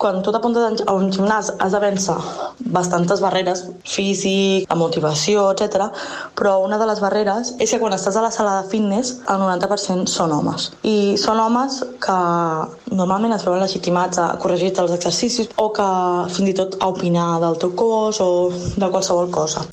Quan tu t'apuntes a un gimnàs has de vèncer bastantes barreres, físic, la motivació, etc. Però una de les barreres és que quan estàs a la sala de fitness el 90% són homes. I són homes que normalment es veuen legitimats a corregir-te els exercicis o que fins i tot a opinar del teu cos o de qualsevol cosa.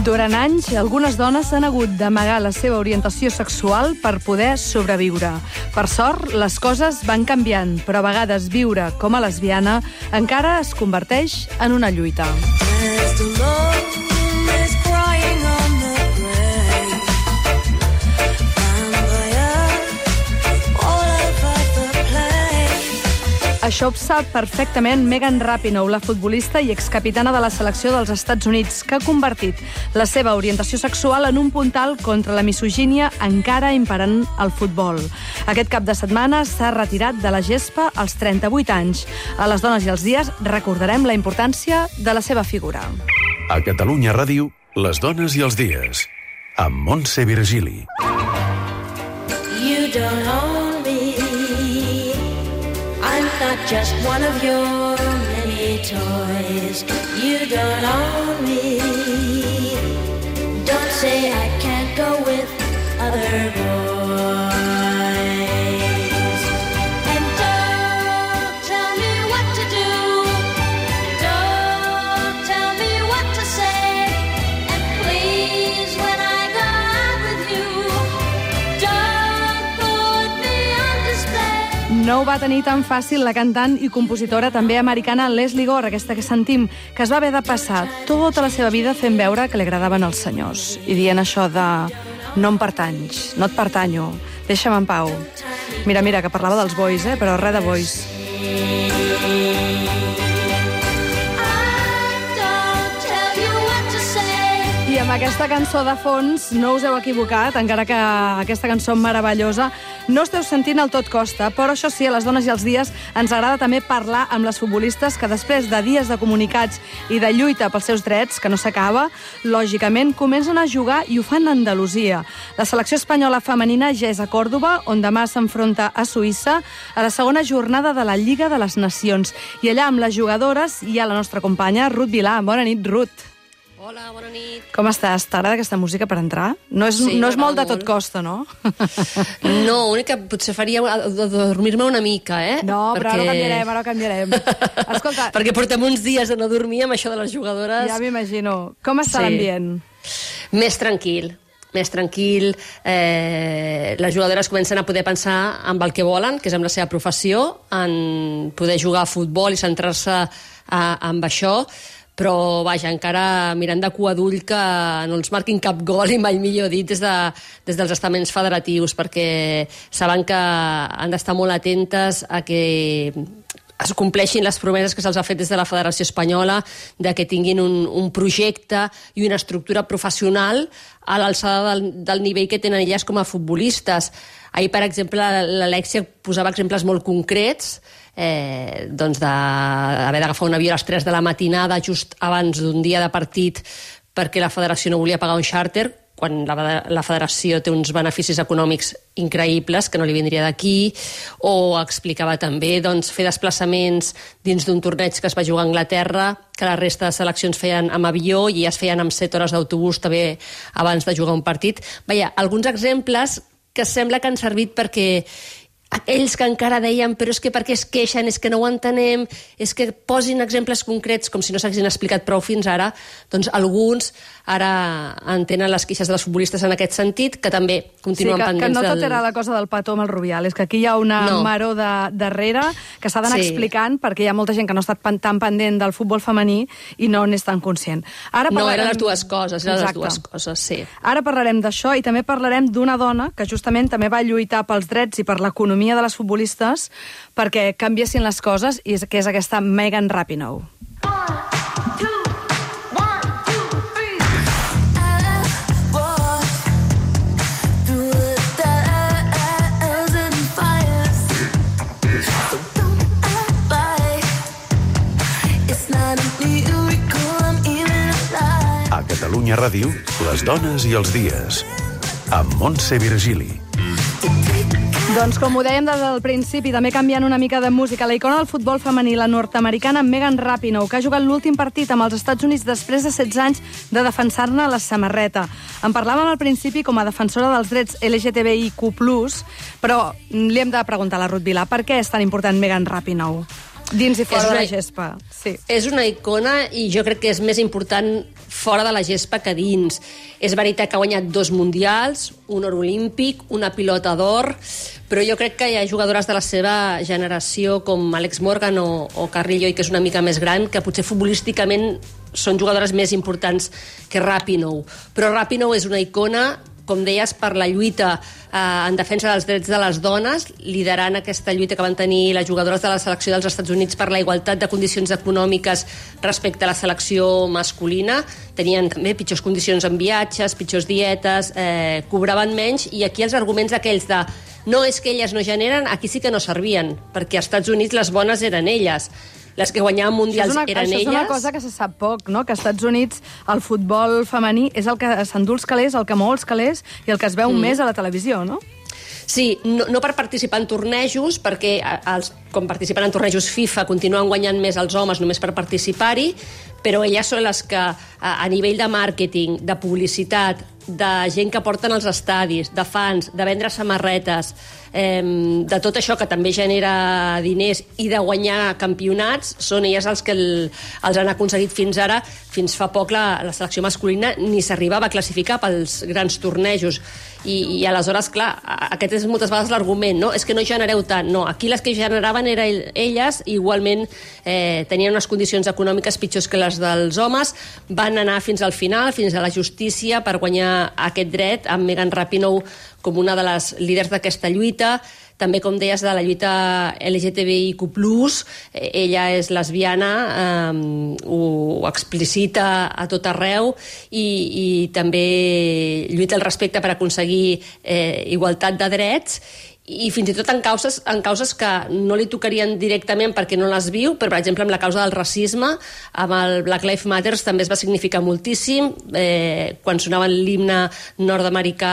Durant anys, algunes dones han hagut d'amagar la seva orientació sexual per poder sobreviure. Per sort, les coses van canviant, però a vegades viure com a lesbiana encara es converteix en una lluita. Això ho sap perfectament Megan Rapinoe, la futbolista i excapitana de la selecció dels Estats Units, que ha convertit la seva orientació sexual en un puntal contra la misogínia encara imperant al futbol. Aquest cap de setmana s'ha retirat de la gespa als 38 anys. A les dones i els dies recordarem la importància de la seva figura. A Catalunya Ràdio, les dones i els dies, amb Montse Virgili. You don't own me. I'm not just one of your many toys. You don't own me. Don't say I can't go with other boys. And don't tell me what to do. Don't tell me what to say. And please, when I go out with you, don't put me on display. No ho va tenir tan fàcil la cantant i compositora també americana Lesley Gore, aquesta que sentim, que es va haver de passar tota la seva vida fent veure que li agradaven els senyors i dient això de no em pertanys, no et pertanyo, deixa'm en pau. Mira, que parlava dels bois, però res de bois. I amb aquesta cançó de fons no us heu equivocat, encara que aquesta cançó meravellosa no esteu sentint el Tot costa, però això sí, a les dones i els dies ens agrada també parlar amb les futbolistes que després de dies de comunicats i de lluita pels seus drets, que no s'acaba, lògicament comencen a jugar i ho fan a Andalusia. La selecció espanyola femenina ja és a Còrdova, on demà s'enfronta a Suïssa a la segona jornada de la Lliga de les Nacions. I allà amb les jugadores hi ha la nostra companya Ruth Vilà. Bona nit, Ruth. Hola, bona nit. Com estàs? T'agrada aquesta música per entrar? No és molt de Tot costa, no? No, únic que potser faria dormir-me una mica, No, però ara ho canviarem. Escolta... Perquè portem uns dies de no dormir amb això de les jugadores. Ja m'imagino. Com està l'ambient? Més tranquil. Les jugadores comencen a poder pensar en el que volen, que és amb la seva professió, en poder jugar a futbol i centrar-se en això, però vaja, encara mirant de cua d'ull que no els marquin cap gol, i mai millor dit, des dels estaments federatius, perquè saben que han d'estar molt atentes a que es compleixin les promeses que se'ls ha fet des de la Federació Espanyola, de que tinguin un projecte i una estructura professional a l'alçada del nivell que tenen elles com a futbolistes. Ahir, per exemple, l'Alexia posava exemples molt concrets, doncs d'haver d'agafar un avió a les 3 de la matinada just abans d'un dia de partit perquè la federació no volia pagar un xàrter, quan la federació té uns beneficis econòmics increïbles que no li vindria d'aquí, o explicava també fer desplaçaments dins d'un torneig que es va jugar a Anglaterra, que la resta de seleccions feien amb avió i es feien amb 7 hores d'autobús també abans de jugar un partit. Vaja, alguns exemples que sembla que han servit perquè aquells que encara deien però és que per què es queixen, és que no ho entenem, és que posin exemples concrets com si no s'haguessin explicat prou fins ara, doncs alguns ara entenen les queixes dels futbolistes en aquest sentit, que també continuen pendents que no tot era la cosa del petó amb el Rubial, és que aquí hi ha una maror darrere que s'ha d'anar explicant, perquè hi ha molta gent que no ha estat tan pendent del futbol femení i no n'és tan conscient. No, eren les dues coses, sí. Ara parlarem d'això i també parlarem d'una dona que justament també va lluitar pels drets i per l'economia de les futbolistes perquè canviessin les coses, i que és aquesta Megan Rapinoe. Catalunya Ràdio, les dones i els dies. Amb Montse Virgili. Doncs com ho dèiem des del principi, també canviant una mica de música, la icona del futbol femení, la nord-americana Megan Rapinoe, que ha jugat l'últim partit amb els Estats Units després de 16 anys de defensar-ne la samarreta. En parlàvem al principi com a defensora dels drets LGTBIQ+, però li hem de preguntar a la Ruth Vilà per què és tan important Megan Rapinoe? Dins i fora de la gespa. Sí. És una icona i jo crec que és més important fora de la gespa que dins. És veritat que ha guanyat 2 mundials, un or olímpic, una pilota d'or, però jo crec que hi ha jugadores de la seva generació com Alex Morgan o Carrillo, que és una mica més gran, que potser futbolísticament són jugadores més importants que Rapinoe. Però Rapinoe és una icona, com deies, per la lluita en defensa dels drets de les dones, liderant aquesta lluita que van tenir les jugadores de la selecció dels Estats Units per la igualtat de condicions econòmiques respecte a la selecció masculina. Tenien també pitjors condicions en viatges, pitjors dietes, cobraven menys, i aquí els arguments aquells de no és que elles no generen, aquí sí que no servien, perquè als Estats Units les bones eren elles. Les que guanyaven mundials eren elles. Això és una cosa que se sap poc, no? Que als Estats Units el futbol femení és el que s'endú els calés, el que mou els calés i el que es veu més a la televisió, no? Sí, no per participar en tornejos, perquè com participen en tornejos FIFA continuen guanyant més els homes només per participar-hi, però elles són les que a nivell de màrqueting, de publicitat, de gent que porten als estadis, de fans, de vendre samarretes, de tot això que també genera diners i de guanyar campionats, són elles els que els han aconseguit fins ara. Fins fa poc la selecció masculina ni s'arribava a classificar pels grans tornejos. I aleshores, clar, aquest és moltes vegades l'argument, no? És que no genereu tant. No, aquí les que generaven eren elles, igualment tenien unes condicions econòmiques pitjors que les dels homes, van anar fins al final, fins a la justícia, per guanyar aquest dret, amb Megan Rapinoe com una de les líders d'aquesta lluita. També, com deies, de la lluita LGTBIQ+, ella és lesbiana, ho explicita a tot arreu, i també lluita al respecte per aconseguir igualtat de drets, i fins i tot en causes que no li tocarien directament perquè no les viu, però, per exemple, amb la causa del racisme, amb el Black Lives Matter també es va significar moltíssim. Quan sonava l'himne nord-americà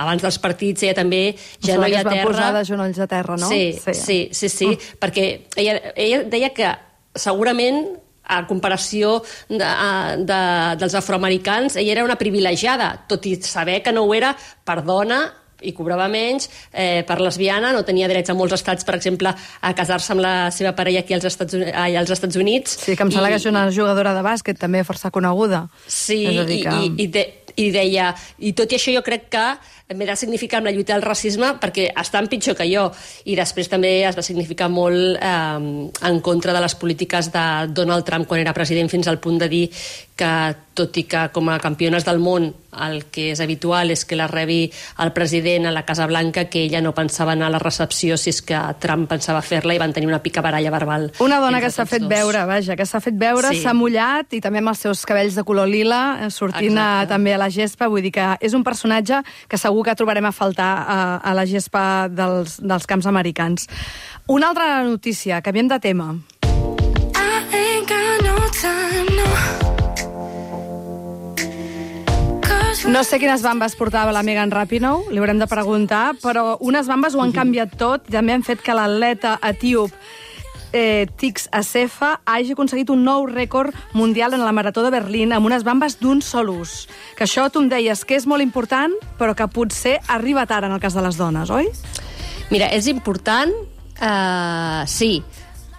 abans dels partits, ella també genoll a terra. Es va posar de genolls a terra, no? Sí, perquè ella deia que segurament, a comparació dels afroamericans, ella era una privilegiada, tot i saber que no ho era per dona i cobrava menys, per lesbiana, no tenia drets a molts estats, per exemple, a casar-se amb la seva parella aquí als Estats Units. Sí, que em sembla que és una jugadora de bàsquet també força coneguda. Sí, i deia, i tot i això jo crec que m'he de significar amb la lluita del racisme perquè estan pitjor que jo. I després també es va significar molt en contra de les polítiques de Donald Trump quan era president, fins al punt de dir que, tot i que com a campiones del món el que és habitual és que la rebi el president a la Casa Blanca, que ella no pensava anar a la recepció si és que Trump pensava fer-la, i van tenir una picabaralla verbal. Una dona que s'ha fet veure, s'ha mullat, i també amb els seus cabells de color lila, sortint també a la gespa. Vull dir que és un personatge que segur que trobarem a faltar a la gespa dels camps americans. Una altra notícia, canviem de tema. No sé quines bambes portava la Megan Rapinoe, li haurem de preguntar, però unes bambes ho han canviat tot i també han fet que l'atleta etíop Tix Assefa hagi aconseguit un nou rècord mundial en la Marató de Berlín amb unes bambes d'un sol ús. Que això tu em deies que és molt important, però que potser arriba tard en el cas de les dones, oi? Mira, és important, sí,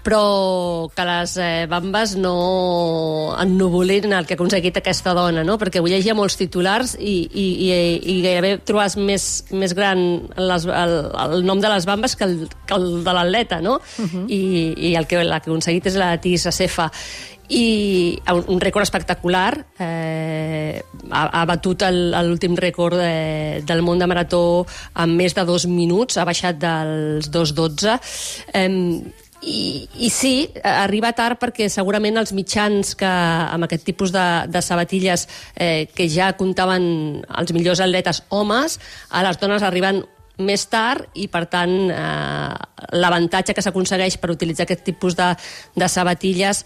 però que les bambes no ennuvolin el que ha aconseguit aquesta dona, no? Perquè avui llegia molts titulars i gairebé trobes més gran el nom de les bambes que el de l'atleta, no? I la que ha aconseguit és la Tix Assefa. I un rècord espectacular, ha batut l'últim rècord del món de marató en més de 2 minuts, ha baixat dels 2:12, i sí, arriba tard perquè segurament els mitjans que amb aquest tipus de sabatilles que ja comptaven els millors atletes homes, a les dones arriben més tard, i per tant l'avantatge que s'aconsegueix per utilitzar aquest tipus de sabatilles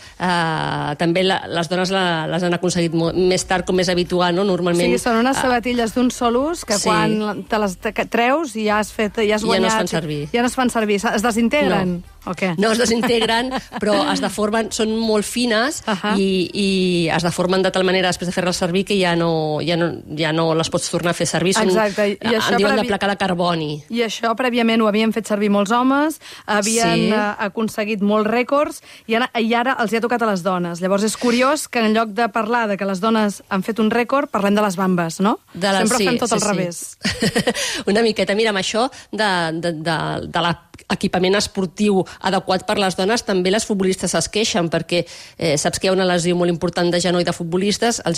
també les dones les han aconseguit més tard, com és habitual, no? Normalment... Sí, són unes sabatilles d'un sol ús que quan te les treus ja has guanyat... Ja no es fan servir. Ja no es fan servir. Es desintegren? O què? No es desintegren, però es deformen, són molt fines i es deformen de tal manera després de fer-les servir que ja no les pots tornar a fer servir. Exacte. En diuen de placa de carboni. I això prèviament ho havien fet servir molts homes, havien aconseguit molts rècords i ara els hi ha tocat a les dones. Llavors és curiós que en lloc de parlar de que les dones han fet un rècord, parlem de les bambes, no? Sempre fem tot al revés. Una miqueta. Mira, amb això de l'equipament esportiu adequat per les dones, també les futbolistes es queixen, perquè saps que hi ha una lesió molt important de genoll de futbolistes, el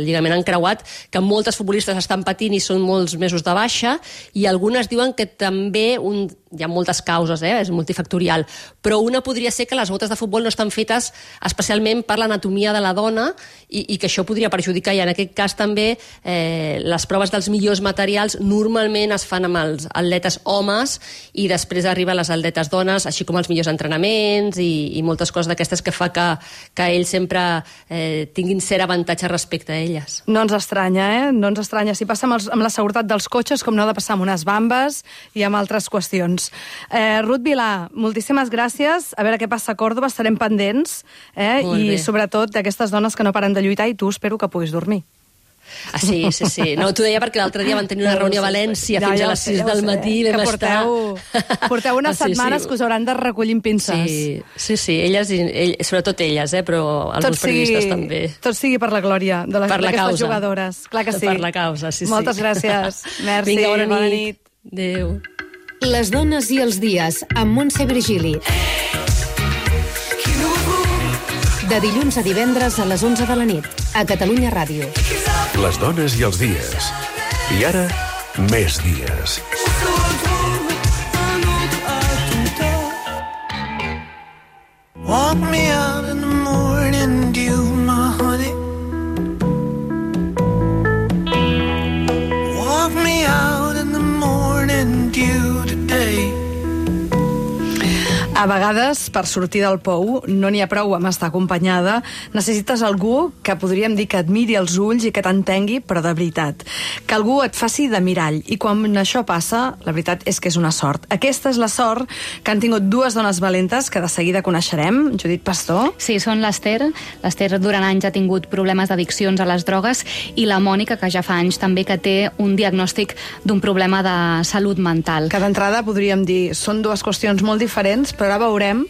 lligament encreuat, que moltes futbolistes estan patint i són molts mesos de baixa, i algunes diuen que també hi ha moltes causes, és multifactorial, però una podria ser que les botes de futbol no estan fetes especialment per l'anatomia de la dona i que això podria perjudicar, i en aquest cas també les proves dels millors materials normalment es fan amb els atletes homes i després arriben les atletes dones, així com els millors entrenaments i moltes coses d'aquestes que fa que ells sempre tinguin cert avantatge respecte a elles. No ens estranya, No ens estranya. Si passa amb la seguretat dels cotxes, com no ha de passar amb unes bambes i amb altres qüestions. Ruth Vilà, moltíssimes gràcies. A veure què passa a Còrdova, estarem pendents. I sobretot d'aquestes dones que no paren de lluitar, i tu espero que puguis dormir. Sí. No, t'ho deia perquè l'altre dia van tenir una reunió a València fins a les 6 del matí. Porteu unes setmanes que us hauran de recollir amb pinces. Sí, elles, sobretot elles, però alguns periodistes també. Tot sigui per la glòria d'aquestes jugadores. Clar que sí. Per la causa, sí. Moltes gràcies. Merci. Vinga, bona nit. Adéu. Les dones i els dies, amb Montse Virgili. De dilluns a divendres a les 11 de la nit, a Catalunya Ràdio. Les dones i els dies. I ara, més dies. Walk me out in the morning dew, my honey. Walk me out in the morning dew today. A vegades, per sortir del pou, no n'hi ha prou amb estar acompanyada. Necessites algú que podríem dir que et miri els ulls i que t'entengui, però de veritat. Que algú et faci de mirall. I quan això passa, la veritat és que és una sort. Aquesta és la sort que han tingut dues dones valentes que de seguida coneixerem. Judit Pastor. Sí, són l'Ester. L'Ester durant anys ha tingut problemes d'addiccions a les drogues, i la Mònica, que ja fa anys també que té un diagnòstic d'un problema de salut mental. Que d'entrada podríem dir, són dues qüestions molt diferents, però ara veurem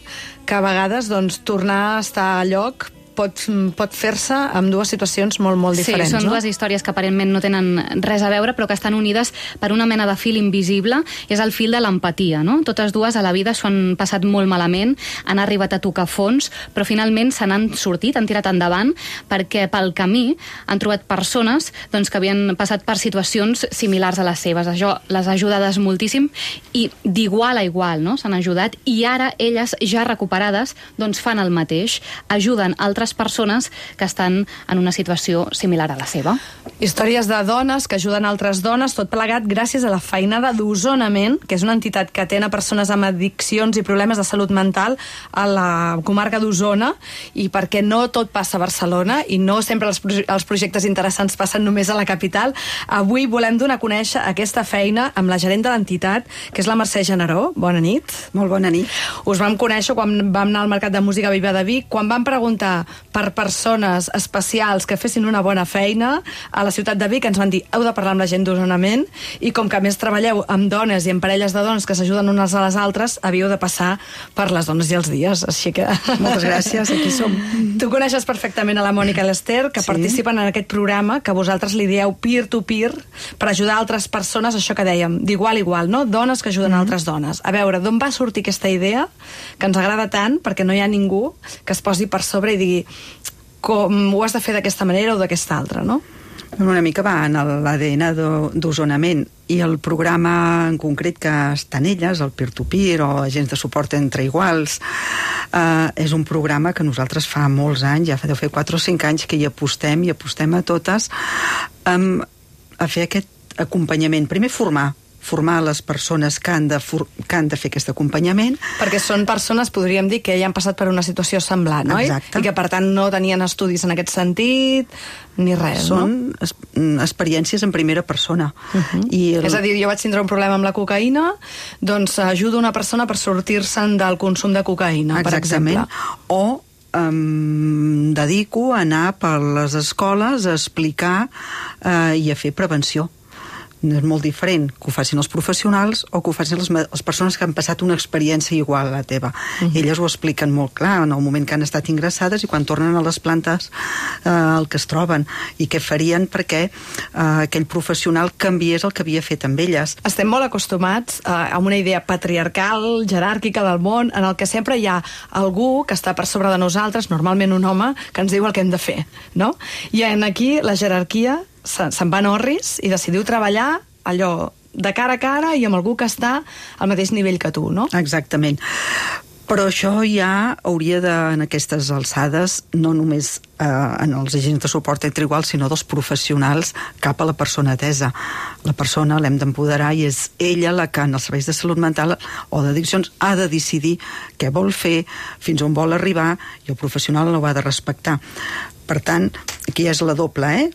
que a vegades tornar a estar a lloc pot fer-se amb dues situacions molt diferents. Sí, són dues històries que aparentment no tenen res a veure, però que estan unides per una mena de fil invisible. És el fil de l'empatia, no? Totes dues a la vida s'ho han passat molt malament, han arribat a tocar fons, però finalment se n'han sortit, han tirat endavant, perquè pel camí han trobat persones que havien passat per situacions similars a les seves. Això les ha ajudades moltíssim i d'igual a igual, no? S'han ajudat, i ara elles, ja recuperades, fan el mateix, ajuden altres persones que estan en una situació similar a la seva. Històries de dones que ajuden altres dones, tot plegat gràcies a la feinada d'Osonament, que és una entitat que atén a persones amb addiccions i problemes de salut mental a la comarca d'Osona, i perquè no tot passa a Barcelona i no sempre els projectes interessants passen només a la capital, avui volem donar a conèixer aquesta feina amb la gerent de l'entitat, que és la Mercè Generó. Bona nit. Molt bona nit. Us vam conèixer quan vam anar al Mercat de Música Viva de Vic, quan vam preguntar per persones especials que fessin una bona feina a la ciutat de Vic, ens van dir, heu de parlar amb la gent d'Osonament, i com que a més treballeu amb dones i amb parelles de dones que s'ajuden unes a les altres, havíeu de passar per les dones i els dies, així que... Moltes gràcies, aquí som. Tu coneixes perfectament a la Mònica i l'Ester, que participen en aquest programa, que vosaltres li dieu peer-to-peer, per ajudar altres persones, això que dèiem, d'igual a igual, no? Dones que ajuden altres dones. A veure, d'on va sortir aquesta idea, que ens agrada tant, perquè no hi ha ningú que es posi per sobre i digui com ho has de fer d'aquesta manera o d'aquesta altra, no? Una mica va en l'ADN d'Osonament, i el programa en concret que estan elles, el peer-to-peer o agents de suport entre iguals, és un programa que nosaltres fa molts anys, ja deu fer 4 o 5 anys que hi apostem a totes a fer aquest acompanyament. Primer formar, formar les persones que han de fer aquest acompanyament. Perquè són persones, podríem dir, que ja han passat per una situació semblant, oi? Exacte. I que, per tant, no tenien estudis en aquest sentit, ni res, Són experiències en primera persona. És a dir, jo vaig tindre un problema amb la cocaïna, doncs ajudo una persona per sortir-se'n del consum de cocaïna, per exemple. O dedico a anar per les escoles a explicar i a fer prevenció. És molt diferent que ho facin els professionals o que ho facin les persones que han passat una experiència igual a la teva. Elles ho expliquen molt clar en el moment que han estat ingressades i quan tornen a les plantes el que es troben i què farien perquè aquell professional canviés el que havia fet amb elles. Estem molt acostumats a una idea patriarcal, jeràrquica del món, en el que sempre hi ha algú que està per sobre de nosaltres, normalment un home, que ens diu el que hem de fer, no? I aquí la jerarquia se'n va en orris i decidiu treballar allò de cara a cara i amb algú que està al mateix nivell que tu, no? Exactament. Però això ja hauria de, en aquestes alçades, no només en els agents de suport entre iguals, sinó dels professionals cap a la persona atesa. La persona l'hem d'empoderar i és ella la que en els serveis de salut mental o d'addiccions ha de decidir què vol fer, fins on vol arribar, i el professional no ho ha de respectar. Per tant, aquí és la doble,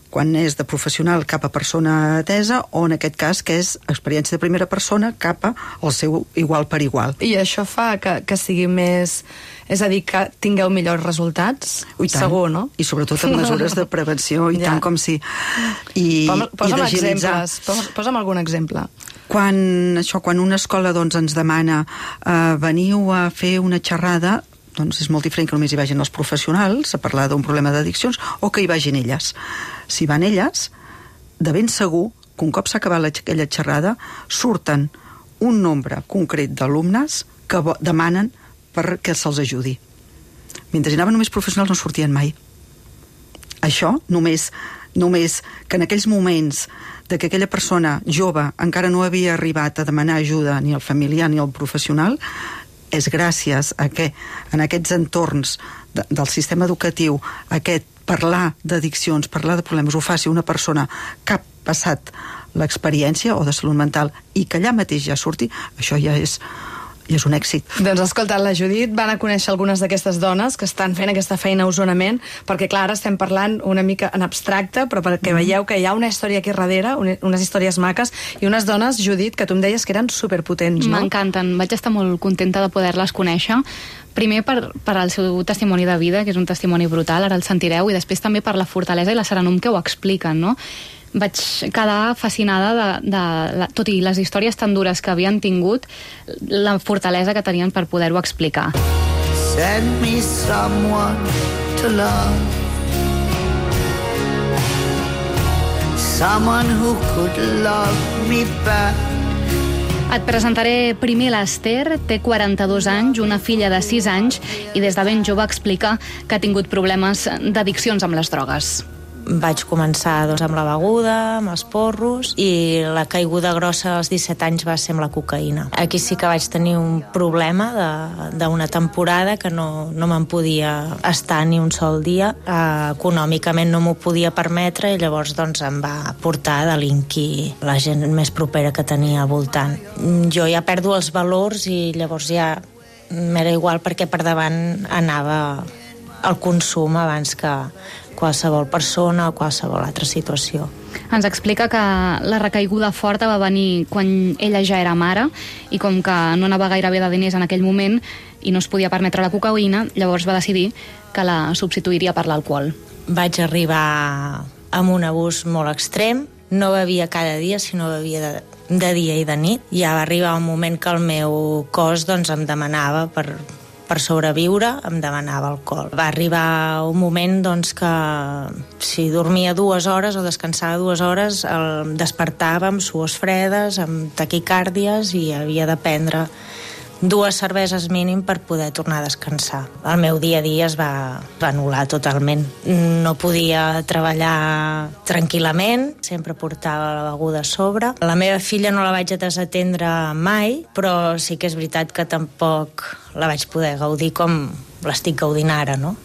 quan és de professional cap a persona atesa o en aquest cas que és experiència de primera persona cap al seu igual per igual. I això fa que sigui més... És a dir, que tingueu millors resultats? Segur, no? I sobretot amb mesures de prevenció i tant com sí. Posa'm exemples. Posa'm algun exemple. Quan una escola ens demana veniu a fer una xerrada, doncs és molt diferent que només hi vagin els professionals a parlar d'un problema d'addiccions o que hi vagin elles. Si van elles, de ben segur que un cop s'ha acabat aquella xerrada surten un nombre concret d'alumnes que demanen perquè se'ls ajudi. Mentre hi anaven només professionals no sortien mai. Això només que en aquells moments de que aquella persona jove encara no havia arribat a demanar ajuda ni al familiar ni al professional, és gràcies a que en aquests entorns del sistema educatiu parlar d'addiccions, parlar de problemes ho faci una persona que ha passat l'experiència o de salut mental i que allà mateix ja surti, això ja és un èxit. Doncs escolta, la Judit van a conèixer algunes d'aquestes dones que estan fent aquesta feina a Osonament, perquè clar, ara estem parlant una mica en abstracte, però perquè veieu que hi ha una història aquí darrere, unes històries maques, i unes dones, Judit, que tu em deies que eren superpotents, no? M'encanten, vaig estar molt contenta de poder-les conèixer. Primer per al seu testimoni de vida, que és un testimoni brutal, ara el sentireu, i després també per la fortalesa i la serenum que ho expliquen, no? Vaig quedar fascinada tot i les històries tan dures que havien tingut, la fortalesa que tenien per poder-ho explicar. Send me someone to love, someone who could love me back. Et presentaré primer l'Ester, té 42 anys, una filla de 6 anys, i des de ben jove explica que ha tingut problemes d'addiccions amb les drogues. Vaig començar amb la beguda, amb els porros, i la caiguda grossa als 17 anys va ser amb la cocaïna. Aquí sí que vaig tenir un problema d'una temporada que no me'n podia estar ni un sol dia. Econòmicament no m'ho podia permetre i llavors em va portar a delinquir la gent més propera que tenia al voltant. Jo ja perdo els valors i llavors ja m'era igual perquè per davant anava el consum abans que qualsevol persona o qualsevol altra situació. Ens explica que la recaiguda forta va venir quan ella ja era mare i com que no anava gairebé de diners en aquell moment i no es podia permetre la cocaïna, llavors va decidir que la substituiria per l'alcohol. Vaig arribar amb un abús molt extrem, no bevia cada dia, sinó bevia de dia i de nit. Ja va arribar un moment que el meu cos em demanava per sobreviure, em demanava alcohol. Va arribar un moment que si dormia 2 hores o descansava 2 hores, el despertava amb suors fredes, amb taquicàrdies i havia de prendre 2 cerveses mínim per poder tornar a descansar. El meu dia a dia es va anul·lar totalment. No podia treballar tranquil·lament, sempre portava la beguda a sobre. La meva filla no la vaig desatendre mai, però sí que és veritat que tampoc la vaig poder gaudir com l'estic gaudint ara, no?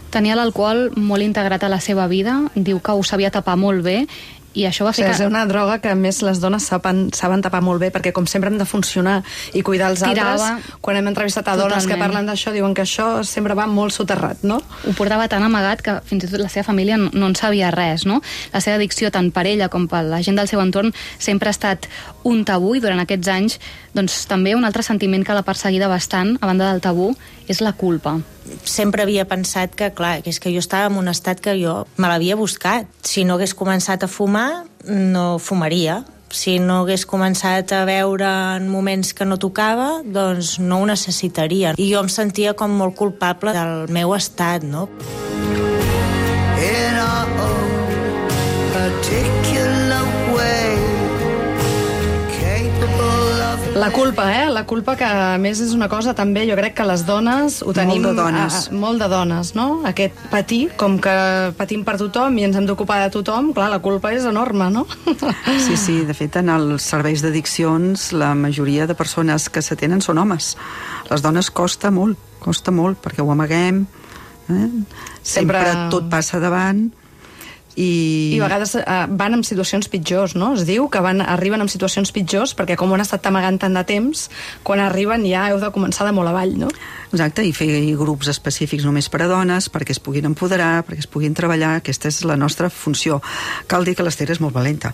Tenia l'alcohol molt integrat a la seva vida, diu que ho sabia tapar molt bé I això va O sigui, fer és una droga que a més les dones saben tapar molt bé, perquè com sempre hem de funcionar i cuidar els altres, quan hem entrevistat a dones que parlen d'això, diuen que això sempre va molt soterrat, no? Ho portava tan amagat que fins i tot la seva família no en sabia res, no? La seva addicció, tant per ella com per la gent del seu entorn, sempre ha estat un tabú, i durant aquests anys, doncs també un altre sentiment que l'ha perseguida bastant, a banda del tabú, és la culpa. Sempre havia pensat que, clar, que és que jo estava en un estat que jo me l'havia buscat. Si no hagués començat a fumar, no fumaria. Si no hagués començat a veure en moments que no tocava, doncs no ho necessitaria. I jo em sentia com molt culpable del meu estat, no? In our own particular way, capable of... La culpa, La culpa que, a més, és una cosa també, jo crec que les dones ho tenim... Molt de dones. Molt de dones, no? Aquest patir, com que patim per tothom i ens hem d'ocupar de tothom, clar, la culpa és enorme, no? Sí, de fet, en els serveis d'addiccions, la majoria de persones que s'atenen són homes. Les dones costa molt, perquè ho amaguem, sempre tot passa davant, i a vegades van en situacions pitjors, no? Es diu que arriben en situacions pitjors perquè com ho han estat amagant tant de temps, quan arriben ja heu de començar de molt avall, no? Exacte, i fer grups específics només per a dones, perquè es puguin empoderar, perquè es puguin treballar. Aquesta és la nostra funció. Cal dir que l'Ester és molt valenta.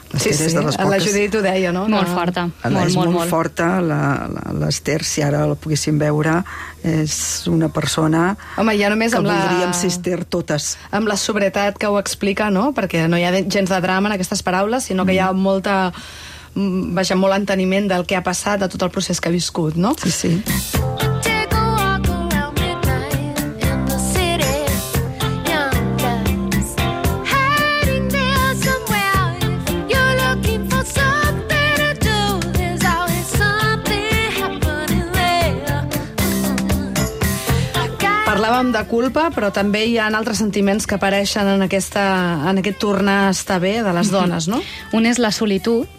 Sí, la Judit ho deia, no? Molt forta. És molt forta. L'Ester, si ara la poguéssim veure, és una persona... Home, ja només que amb voldríem ser Ester totes. Amb la sobrietat que ho explica, no? Perquè no hi ha gens de drama en aquestes paraules, sinó que hi ha molt enteniment del que ha passat, de tot el procés que ha viscut, no? Sí. Parlàvem de culpa, però també hi ha altres sentiments que apareixen en aquest tornar a estar bé de les dones, no? Un és la solitud,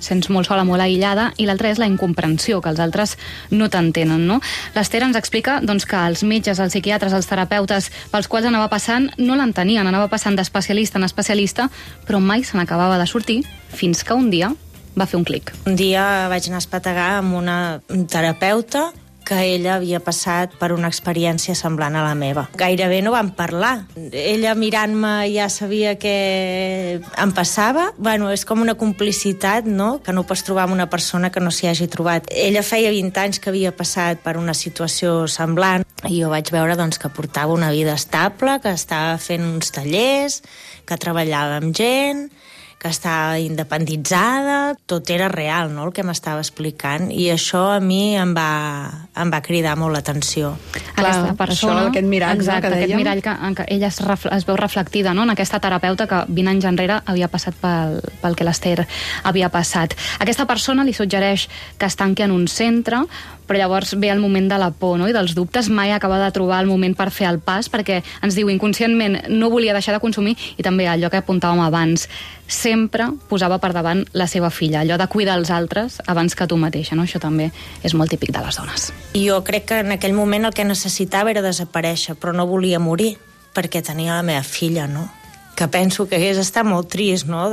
sents molt sola, molt aïllada, i l'altre és la incomprensió, que els altres no t'entenen, no? L'Ester ens explica doncs, que els metges, els psiquiatres, els terapeutes pels quals anava passant no l'entenien, anava passant d'especialista en especialista, però mai se n'acabava de sortir, fins que un dia va fer un clic. Un dia vaig anar a espetegar amb una terapeuta que ella havia passat per una experiència semblant a la meva. Gairebé no vam parlar. Ella mirant-me ja sabia què em passava. Bueno, és com una complicitat, no?, que no pots trobar amb una persona que no s'hi hagi trobat. Ella feia 20 anys que havia passat per una situació semblant i jo vaig veure doncs, que portava una vida estable, que estava fent uns tallers, que treballava amb gent, que estava independitzada, tot era real, no?, el que m'estava explicant, i això a mi em va cridar molt l'atenció. Aquesta persona, aquest mirall, exacte, no, que aquest dèiem. mirall que ella es veu reflectida, no?, en aquesta terapeuta que 20 anys enrere havia passat pel que l'Ester havia passat. Aquesta persona li suggereix que es tanqui en un centre, però llavors ve el moment de la por, no?, i dels dubtes. Mai acaba de trobar el moment per fer el pas, perquè ens diu inconscientment no volia deixar de consumir, i també allò que apuntàvem abans, sempre posava per davant la seva filla, allò de cuidar els altres abans que tu mateixa, no? Això també és molt típic de les dones. I jo crec que en aquell moment el que necessitava era desaparèixer, però no volia morir, perquè tenia la meva filla, no? Que penso que hagués estat molt trist, no?,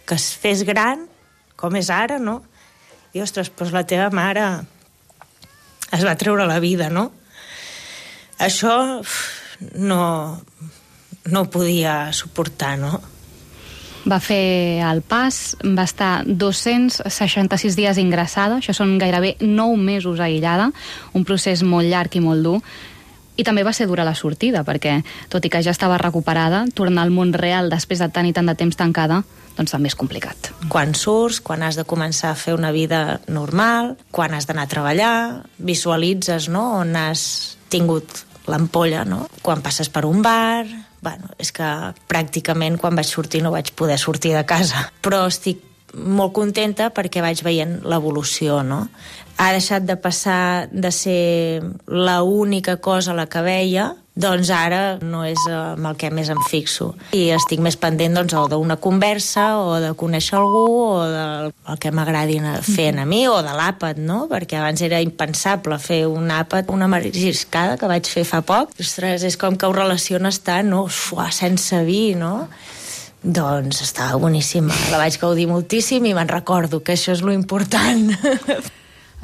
que es fes gran, com és ara, no? I, ostres, doncs la teva mare es va treure la vida, no? Això no ho podia suportar, no? Va fer el pas, va estar 266 dies ingressada, això són gairebé 9 mesos aïllada, un procés molt llarg i molt dur, i també va ser dura la sortida, perquè, tot i que ja estava recuperada, tornar al món real després de tant i tant de temps tancada, doncs també és complicat. Quan surts, quan has de començar a fer una vida normal, quan has d'anar a treballar, visualitzes, no?, on has tingut l'ampolla, no?, quan passes per un bar... Bueno, és que pràcticament quan vaig sortir no vaig poder sortir de casa. Però estic molt contenta perquè vaig veient l'evolució, no? Ha deixat de passar de ser l'única cosa a la que veia, doncs ara no és amb el que més em fixo. I estic més pendent doncs, o d'una conversa, o de conèixer algú, o del que m'agradi fer a mi, o de l'àpat, no? Perquè abans era impensable fer un àpat, una mariscada que vaig fer fa poc. Ostres, és com que ho relaciones tant, no? Sense vi, no? Doncs estava boníssima. La vaig gaudir moltíssim i me'n recordo que això és lo important.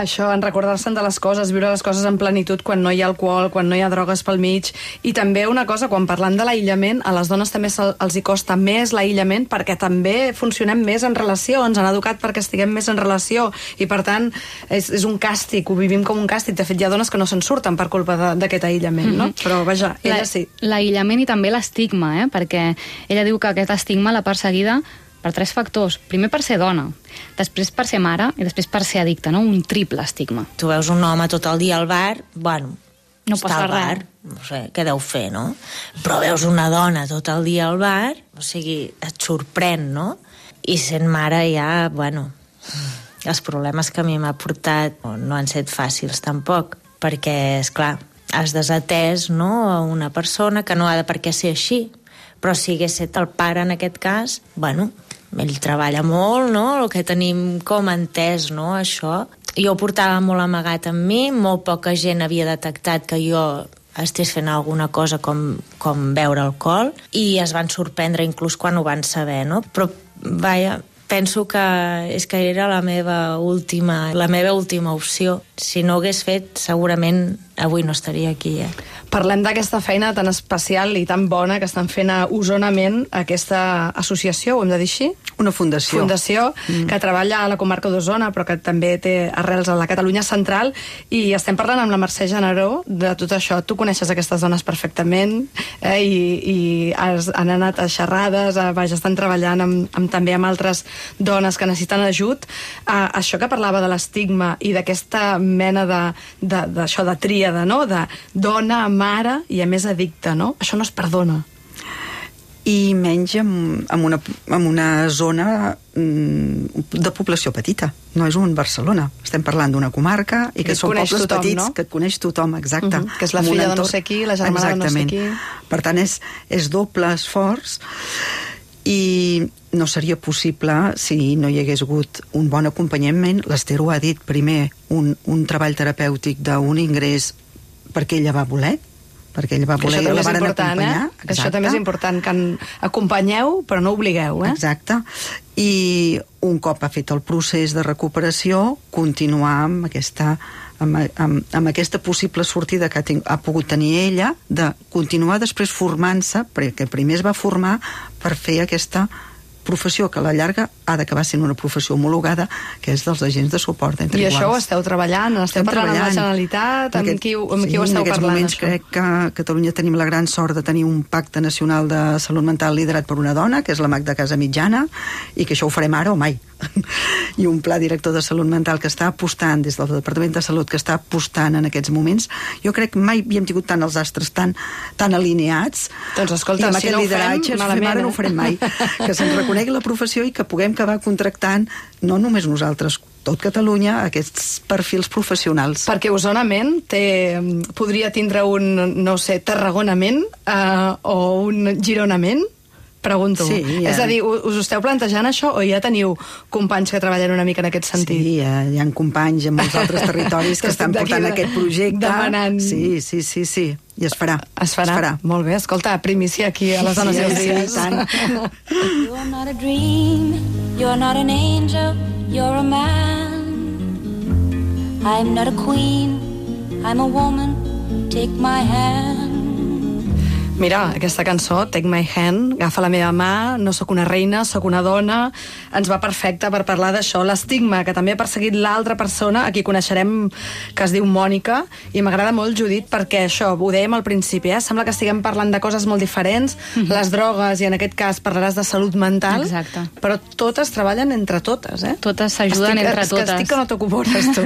Això, en recordar-se'n de les coses, viure les coses en plenitud quan no hi ha alcohol, quan no hi ha drogues pel mig. I també una cosa, quan parlant de l'aïllament, a les dones també els hi costa més l'aïllament perquè també funcionem més en relació, ens han educat perquè estiguem més en relació i, per tant, és un càstig, ho vivim com un càstig. De fet, hi ha dones que no se'n surten per culpa d'aquest aïllament, no? Però, vaja, ella sí. L'aïllament i també l'estigma, perquè ella diu que aquest estigma l'ha perseguida per 3 factors. Primer per ser dona, després per ser mare i després per ser addicta, no? Un triple estigma. Tu veus un home tot el dia al bar, bueno, no està passa al bar, res. no sé què deu fer, no? Però veus una dona tot el dia al bar, o sigui, et sorprèn, no? I sent mare ja, bueno, els problemes que a mi m'ha portat no han set fàcils tampoc, perquè, esclar, has desatès, no?, a una persona que no ha de per què ser així, però si hagués estat el pare en aquest cas, bueno, ell treballa molt, no?, el que tenim com entès, no?, això. Jo ho portava molt amagat amb mi, molt poca gent havia detectat que jo estés fent alguna cosa com beure alcohol, i es van sorprendre inclús quan ho van saber, no? Però, vaja, penso que és que era la meva última opció. Si no ho hagués fet, segurament avui no estaria aquí, Parlem d'aquesta feina tan especial i tan bona que estan fent a Osonament, aquesta associació, ho hem de dir així? Una fundació. Fundació que treballa a la comarca d'Osona, però que també té arrels a la Catalunya central, i estem parlant amb la Mercè Generó de tot això. Tu coneixes aquestes dones perfectament, i han anat a xerrades, estan treballant també amb altres dones que necessiten ajut. Això que parlava de l'estigma i d'aquesta mena d'això de tríada, no?, de dona, mare i a més addicta, no? Això no es perdona. I menys en una zona de població petita. No és un Barcelona. Estem parlant d'una comarca i que són pobles petits, no?, que et coneix tothom, exacte. Que és la filla de no sé qui, la germana de no sé qui. Per tant, és doble esforç, i no seria possible si no hi hagués hagut un bon acompanyament. L'Ester ho ha dit, primer, un treball terapèutic d'un ingrés perquè ella va voler, i la varen acompanyar. Això també és important, que acompanyeu però no obligueu. Exacte. I un cop ha fet el procés de recuperació, continuar amb aquesta possible sortida que ha pogut tenir ella, de continuar després formant-se, perquè primer es va formar per fer aquesta professió que a la llarga ha d'acabar sent una professió homologada, que és dels agents de suport entre iguals. I això ho esteu treballant? Esteu parlant amb la Generalitat? Amb qui ho esteu parlant? En aquests moments crec que a Catalunya tenim la gran sort de tenir un pacte nacional de salut mental liderat per una dona, que és la Magda Casamitjana, i que això ho farem ara o mai. I un pla director de salut mental que està apostant, des del Departament de Salut, que està apostant en aquests moments. Jo crec que mai havíem tingut tant els astres tan alineats. Doncs escolta, si no ho fem, malament. Ara no ho farem mai. Que se'ns reconegui la professió i que puguem acabar contractant, no només nosaltres, tot Catalunya, aquests perfils professionals. Perquè Osonament podria tindre un, no sé, Tarragonament o un Gironament? Pregunto. Sí, És a dir, us esteu plantejant això o ja teniu companys que treballen una mica en aquest sentit? Sí, hi ha companys en molts altres territoris que estan portant aquest projecte. Demanant. Sí. I es farà. Es farà. Molt bé, escolta, primícia aquí a les dones i els dies. You're not a dream, you're not an angel, you're a man. I'm not a queen, I'm a woman, take my hand. Mira, aquesta cançó, Take My Hand, agafa la meva mà, no sóc una reina, sóc una dona, ens va perfecta per parlar d'això, l'estigma que també ha perseguit l'altra persona, a qui coneixerem, que es diu Mònica, i m'agrada molt, Judit, perquè això, ho dèiem al principi, sembla que estiguem parlant de coses molt diferents, les drogues, i en aquest cas parlaràs de salut mental, exacte, però totes treballen entre totes, Totes s'ajuden entre totes. Estic que no t'ho veures, tu.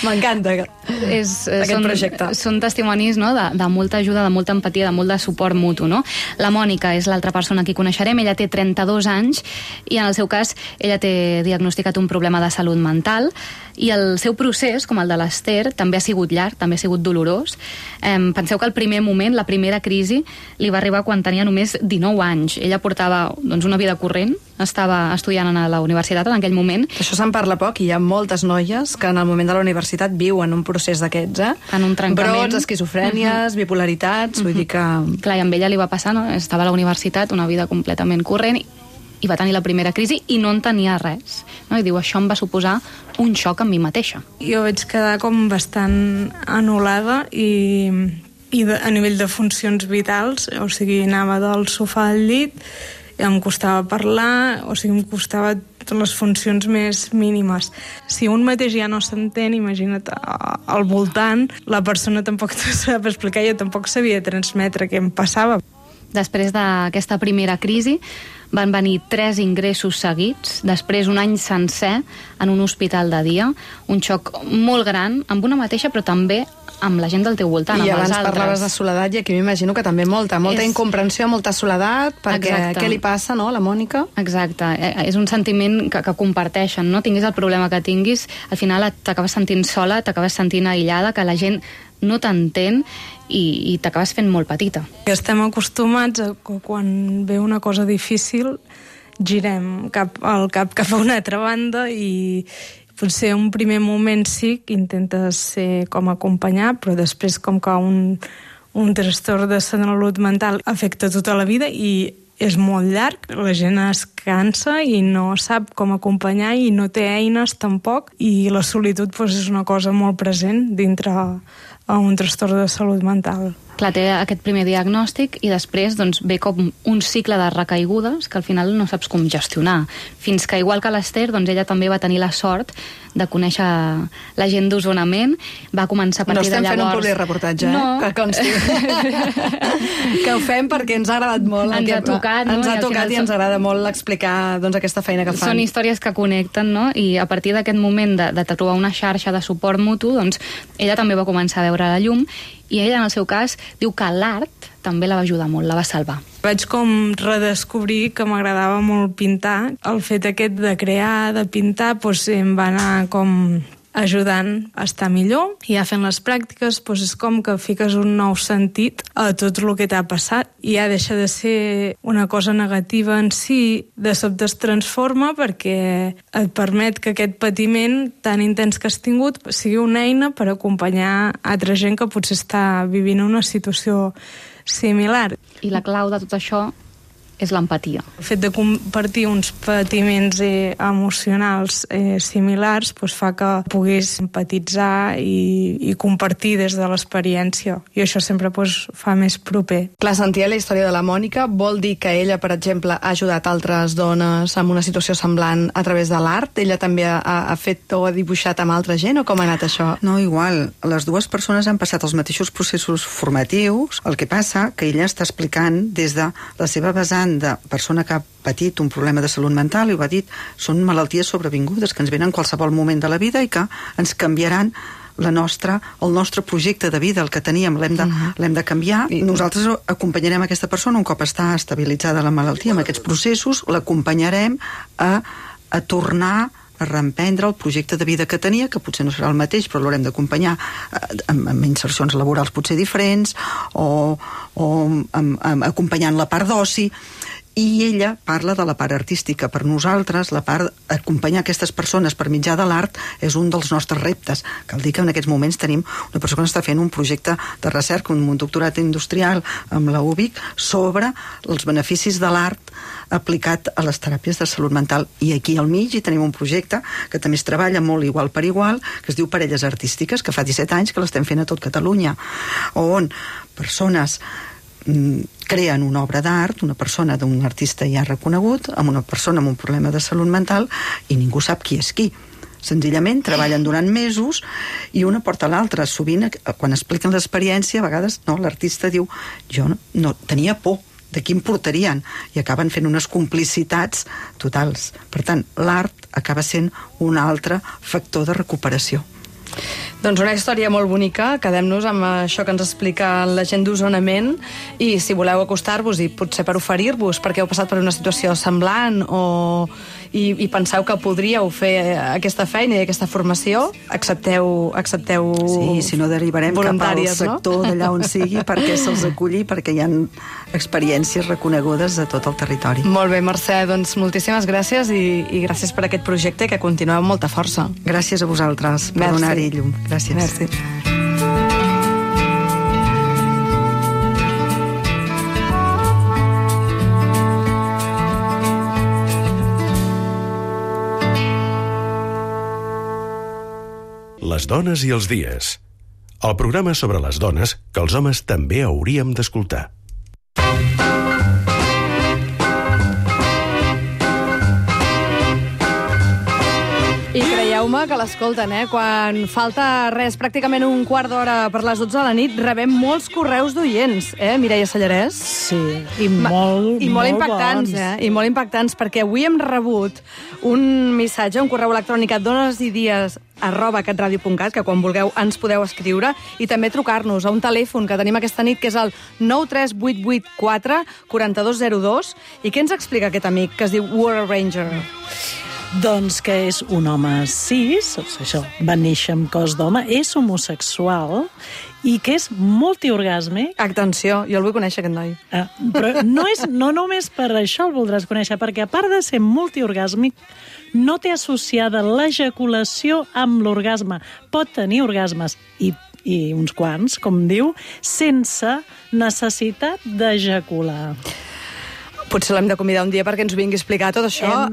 M'encanta aquest projecte. Són testimonis, no?, de molta ajuda, de molta empatia, de molt de suport mutu, no? La Mònica és l'altra persona que coneixerem, ella té 32 anys i en el seu cas ella té diagnosticat un problema de salut mental i el seu procés, com el de l'Ester, també ha sigut llarg, també ha sigut dolorós. Penseu que el primer moment, la primera crisi, li va arribar quan tenia només 19 anys. Ella portava una vida corrent, estava estudiant a la universitat en aquell moment. Això se'n parla poc i hi ha moltes noies que en el moment de la universitat viuen un procés d'aquests, En un trencament. Brots, esquizofrènies, bipolaritats, vull dir que... Clar, i amb ella li va passar, no? Estava a la universitat, una vida completament corrent, i va tenir la primera crisi i no entenia res. No? I diu, això em va suposar un xoc amb mi mateixa. Jo vaig quedar com bastant anul·lada i a nivell de funcions vitals, o sigui, anava del sofà al llit, em costava parlar, o sigui, em costava les funcions més mínimes. Si un mateix ja no s'entén, imagina't al voltant, la persona tampoc te sap explicar, jo tampoc sabia transmetre què em passava. Després d'aquesta primera crisi van venir 3 ingressos seguits, després un any sencer en un hospital de dia, un xoc molt gran amb una mateixa però també amb la gent del teu voltant, I amb els altres. I abans parlaves de soledat i aquí m'imagino que també molta incomprensió, molta soledat, perquè què li passa, no, a la Mònica? Exacte, és un sentiment que comparteixen, no? Tinguis el problema que tinguis, al final t'acabes sentint sola, t'acabes sentint aïllada, que la gent no t'entén i t'acabes fent molt petita. Estem acostumats a que quan ve una cosa difícil girem el cap cap a una altra banda i potser un primer moment sí que intentes ser com acompanyar, però després com que un trastorn de salut mental afecta tota la vida i és molt llarg, la gent es cansa i no sap com acompanyar i no té eines tampoc, i la solitud és una cosa molt present dintre un trastorn de salut mental. Clar, té aquest primer diagnòstic i després ve com un cicle de recaigudes que al final no saps com gestionar. Fins que, igual que l'Ester, ella també va tenir la sort de conèixer la gent d'Osonament, va començar a partir de llavors... No estem fent un publireportatge, no. Que consti. Que ho fem perquè ens ha agradat molt. Ens ha tocat, no? Ens ha tocat i ens agrada molt explicar aquesta feina que fan. Són històries que connecten, no? I a partir d'aquest moment de trobar una xarxa de suport mutu, ella també va començar a veure la llum i ella, en el seu cas, diu que l'art també la va ajudar molt, la va salvar. Vaig com redescobrir que m'agradava molt pintar. El fet aquest de crear, de pintar, em va anar com ajudant a estar millor, i ja fent les pràctiques és com que fiques un nou sentit a tot el que t'ha passat i ja deixa de ser una cosa negativa en si, de sobte es transforma perquè et permet que aquest patiment tan intens que has tingut sigui una eina per acompanyar altra gent que potser està vivint una situació similar. I la clau de tot això és l'empatia. El fet de compartir uns patiments emocionals similars fa que puguis empatitzar i compartir des de l'experiència. I això sempre fa més proper. Clar, sentir la història de la Mònica vol dir que ella, per exemple, ha ajudat altres dones en una situació semblant a través de l'art? Ella també ha fet o ha dibuixat amb altra gent, o com ha anat això? No, igual. Les dues persones han passat els mateixos processos formatius. El que passa que ella està explicant des de la seva vessant de persona que ha patit un problema de salut mental, i ho ha dit, són malalties sobrevingudes que ens venen en qualsevol moment de la vida i que ens canviaran el nostre projecte de vida, el que teníem, l'hem de canviar. Nosaltres acompanyarem aquesta persona un cop està estabilitzada la malaltia amb aquests processos, l'acompanyarem a tornar a reemprendre el projecte de vida que tenia, que potser no serà el mateix, però l'haurem d'acompanyar amb insercions laborals potser diferents, o acompanyant la part d'oci. I ella parla de la part artística. Per nosaltres, la part d'acompanyar aquestes persones per mitjà de l'art és un dels nostres reptes. Cal dir que en aquests moments tenim una persona que està fent un projecte de recerca, un doctorat industrial amb la UBIC, sobre els beneficis de l'art aplicat a les teràpies de salut mental. I aquí al mig hi tenim un projecte que també es treballa molt igual per igual, que es diu Parelles Artístiques, que fa 17 anys que l'estem fent a tot Catalunya, on persones creen una obra d'art, una persona d'un artista ja reconegut, amb una persona amb un problema de salut mental, i ningú sap qui és qui. Senzillament treballen durant mesos i una porta a l'altra. Sovint, quan expliquen l'experiència, a vegades l'artista diu, jo no tenia por de qui em portarien, i acaben fent unes complicitats totals. Per tant, l'art acaba sent un altre factor de recuperació. Doncs una història molt bonica. Quedem-nos amb això que ens explica la gent d'Osonament i si voleu acostar-vos i potser per oferir-vos perquè heu passat per una situació semblant i penseu que podríeu fer aquesta feina i aquesta formació, accepteu sí, si no derivarem cap al sector d'allà on sigui perquè se'ls aculli, perquè hi ha experiències reconegudes de tot el territori. Molt bé, Mercè, doncs moltíssimes gràcies i gràcies per aquest projecte que continueu amb molta força. Gràcies a vosaltres per donar-hi llum. Gràcies. Merci. Les dones i els dies. El programa sobre les dones que els homes també hauríem d'escoltar. I creieu-me que l'escolten, quan falta res, pràcticament un quart d'hora per les 12 de la nit, rebem molts correus d'oients, Mireia Sallarès? Sí, i molt impactants, bons. I molt impactants, perquè avui hem rebut un missatge, un correu electrònic a donesidies@catradio.cat, que quan vulgueu ens podeu escriure, i també trucar-nos a un telèfon que tenim aquesta nit, que és el 93884 4202. I què ens explica aquest amic, que es diu World Ranger? Doncs que és un home cis, això, va néixer amb cos d'home, és homosexual i que és multiorgàsmic. Atenció, jo el vull conèixer, aquest noi. Però no només per això el voldràs conèixer, perquè a part de ser multiorgàsmic, no té associada l'ejaculació amb l'orgasme. Pot tenir orgasmes i uns quants, com diu, sense necessitat d'ejacular. Potser l'hem de convidar un dia perquè ens vingui a explicar tot això.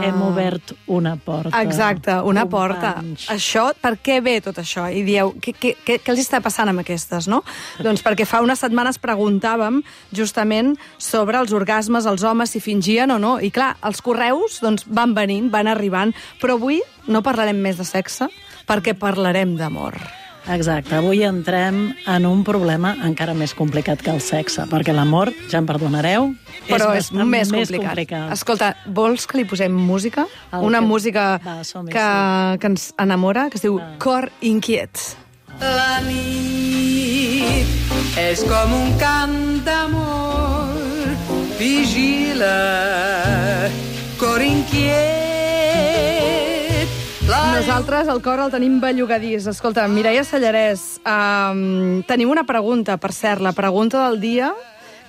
Hem obert una porta. Exacte, una porta. Això, per què ve tot això? I dieu, què els està passant amb aquestes, no? Doncs perquè fa unes setmanes preguntàvem justament sobre els orgasmes, els homes, si fingien o no. I clar, els correus van venint, van arribant, però avui no parlarem més de sexe perquè parlarem d'amor. Exacte, avui entrem en un problema encara més complicat que el sexe, perquè l'amor, ja em perdonareu, però és més complicat. Escolta, vols que li posem música? Una música que ens enamora, que es diu Cor inquiet. La nit és com un cant d'amor, vigila, cor inquiet. Nosaltres el cor el tenim bellugadís. Escolta, Mireia Sallarès, tenim una pregunta, per cert, la pregunta del dia,